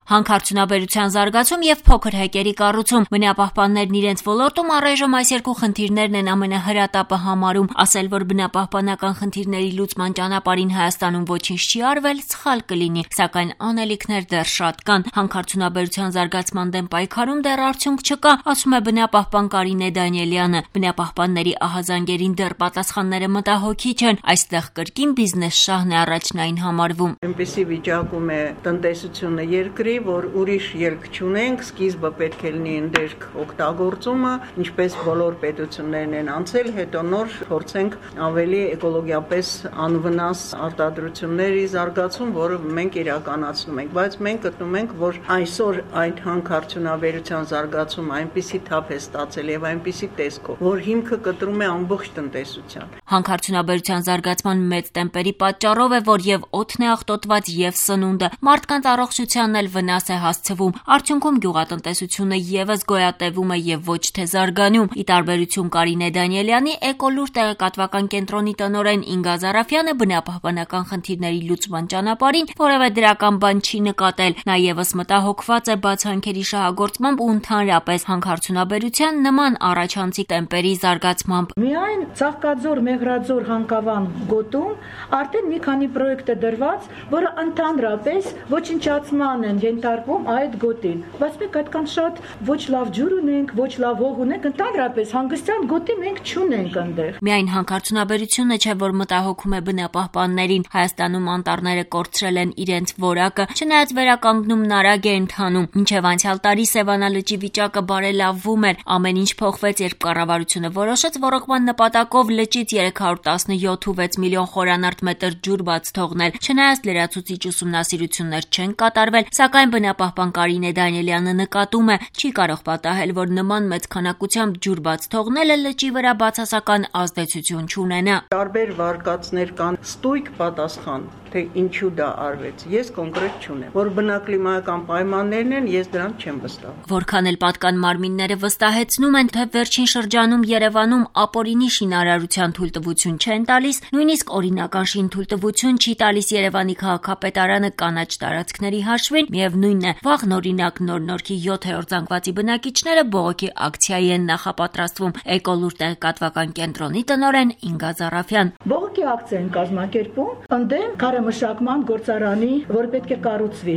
Հանքարդյունաբերության զարգացում եւ փոքր հեկերի կառուցում։ Բնապահպաններն իրենց ոլորտում առայժմ այս երկու խնդիրներն են ամենահրատապը համարում, ասել, որ բնապահպանական խնդիրների լուծման ճանապարհին Հայաստանում ոչինչ չի արվել, սխալ կլինի, սակայն անելիքներ դեռ շատ կան։ Հանքարդյունաբերության զարգացման դեմ պայքարում դեռ արդյունք չկա, ասում է բնապահպան Կարինե Դանիելյանը։ Բնապահպանների ահազանգերին դեռ պատասխանները մտահոգիչ են, այստեղ կրկին բիզնես շահն է առաջնային համարվում։ Այնպիսի վիճակում է տնտեսությունը երկրի, որ ուրիշ ելք չունենք, սկիզբը պետք է լինի ընդերք օգտագործումը, ինչպես բոլոր պետություններն են անցել, հետո նոր փորձենք ավելի էկոլոգիապես անվնաս արտադրությունների զարգացում, որը մենք իրականացնում ենք, բայց մենք գտնում ենք, որ այսօր այդ հանքարդյունաբերության զարգացումը այնպիսի թափ է ստացել եւ այնպիսի տեսքով, որ հիմքը կտրում է ամբողջ տնտեսության։ Հանքարդյունաբերության զարգացման մեծ տեմպերի պատճառով է, որ եւ օդն է աղտոտված եւ սնունդը, մարդկանց առողջությանն էլ վնաս է հասցվում։ Արդյունքում գյուղատնտեսությունը եւս գոյատևում է եւ ոչ թե զարգանում։ Ի տարբերություն Կարինե Դանիելյանի, Էկոլուր տեղեկատվական կենտրոնի տնօրեն Ինգա Զարաֆյանը բնապահպանական խնդիրների լուծման ճանապարհին որևէ դրական բան չի նկատել։ Նա եւս մտահոգված է բացանքերի շահագործմամբ ու ընդհանրապես հանքարդյունաբերության նման առաջանցիկ տեմպերի զարգացմամբ։ Միայն Ծաղկաձոր, Մեղրաձոր, Հանկավան գոտում արդեն մի քանի պրոյեկտ է դրված, որը ընդհանրապես ոչնչացման են ենթարկվում այդ գոտին, բայց մենք այդքան շատ ոչ լավ ջուր ունենք, ոչ լավ հող ունենք, ընդհանրապես հանգստյան գոտի մենք չունենք այնտեղ։ Միայն հանքարդյունաբերությունը չէ, որ մտահոգում է բնապահպաններին։ Հայաստանում անտառները կորցրել են իրենց որակը, չնայած վերականգնումն արագ է ընթանում։ Մինչև անցյալ տարի Սևանա լճի վիճակը բարելավվում էր։ Ամեն ինչ փոխվեց, երբ կառավարությունը որոշեց ոռոգման նպատակով լճից 317.6 միլիոն խորանարդ մետր ջուր բաց թողնել։ Չնայած լրացուցիչ ուսումնասիրություններ չեն կատարվել, սակայն բնապահպան Կարինե Դանիելյանը նկատում է, չի կարող պատահել, որ նման մեծ քանակությամբ ջուր բաց թողնելը լճի վրա բացասական ազդեցություն չունենա։ Տարբեր վարկածներ կան, ստույգ պատասխան, թե ինչու դա արվեց։ Ես կոնկրետ չունեմ, որ բնակլիմայական պայմաններն են, ես դրանց չեմ վստահում։ Որքան էլ պատկան մարմինները վստահեցնում են, թե վերջին շրջանում Երևանում ապօրինի շինարարության թույլտվություն չեն տալիս, նույնիսկ օրինական շինթույլտվություն չի տալիս Երևանի քաղաքապետարանը կանաչ տարածքների հաշվին, միևնույնն է, վաղն օրինակ Նոր-Նորքի 7-րդ զանգվածի բնակիչները բողոքի ակցիայի են նախապատրաստվում։ Էկոլուր տեղեկատվական կենտրոնի տնօրեն Ինգա Զարաֆյան։ Բողոքի ակցիա են կազմակերպում ընդդեմ քարեմշակման գործարանի, որ պետք է կառուցվի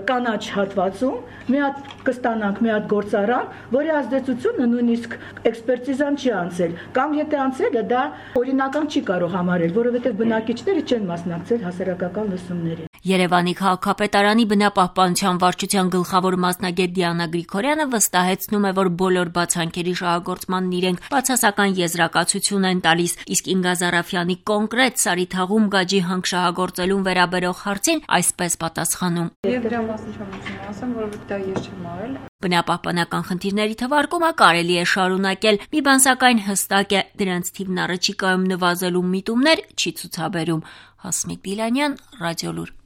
կանաչ հատվածում, մի հատ կստանանք մի հատ գործարան, որի ազդեցությունը նույնիսկ էքսպերտիզան չի անցել, կամ եթե անցել է, դա օրինական չի կարող համարել, որովհետև բնակիչները չեն մասնակցել հասարակական լսումներին։ Երևանի քաղաքապետարանի բնապահպանության վարչության գլխավոր մասնագետ Դիանա Գրիգորյանը վստահեցնում է, որ բոլոր բացանքերի շահագործմանն իրենք բացասական եզրակացություն են տալիս, իսկ Ինգա Զարաֆյանի կոնկրետ Սարիթաղում գաջի հանք շահագործելուն վերաբերող հարցին այսպես պատասխանում։ Ես դրա մասին չեմ ասեմ, որովհետև դա ես չեմ արել։ Բնապահպանական խնդիրների թվարկումը կարելի է շարունակել, մի բան սակայն հստակ է, դրանց թիվն առաջիկայում նվազելու միտումներ չի ցուցաբերում։ Հասմիկ Բիլանյան, Ռադիոլուր։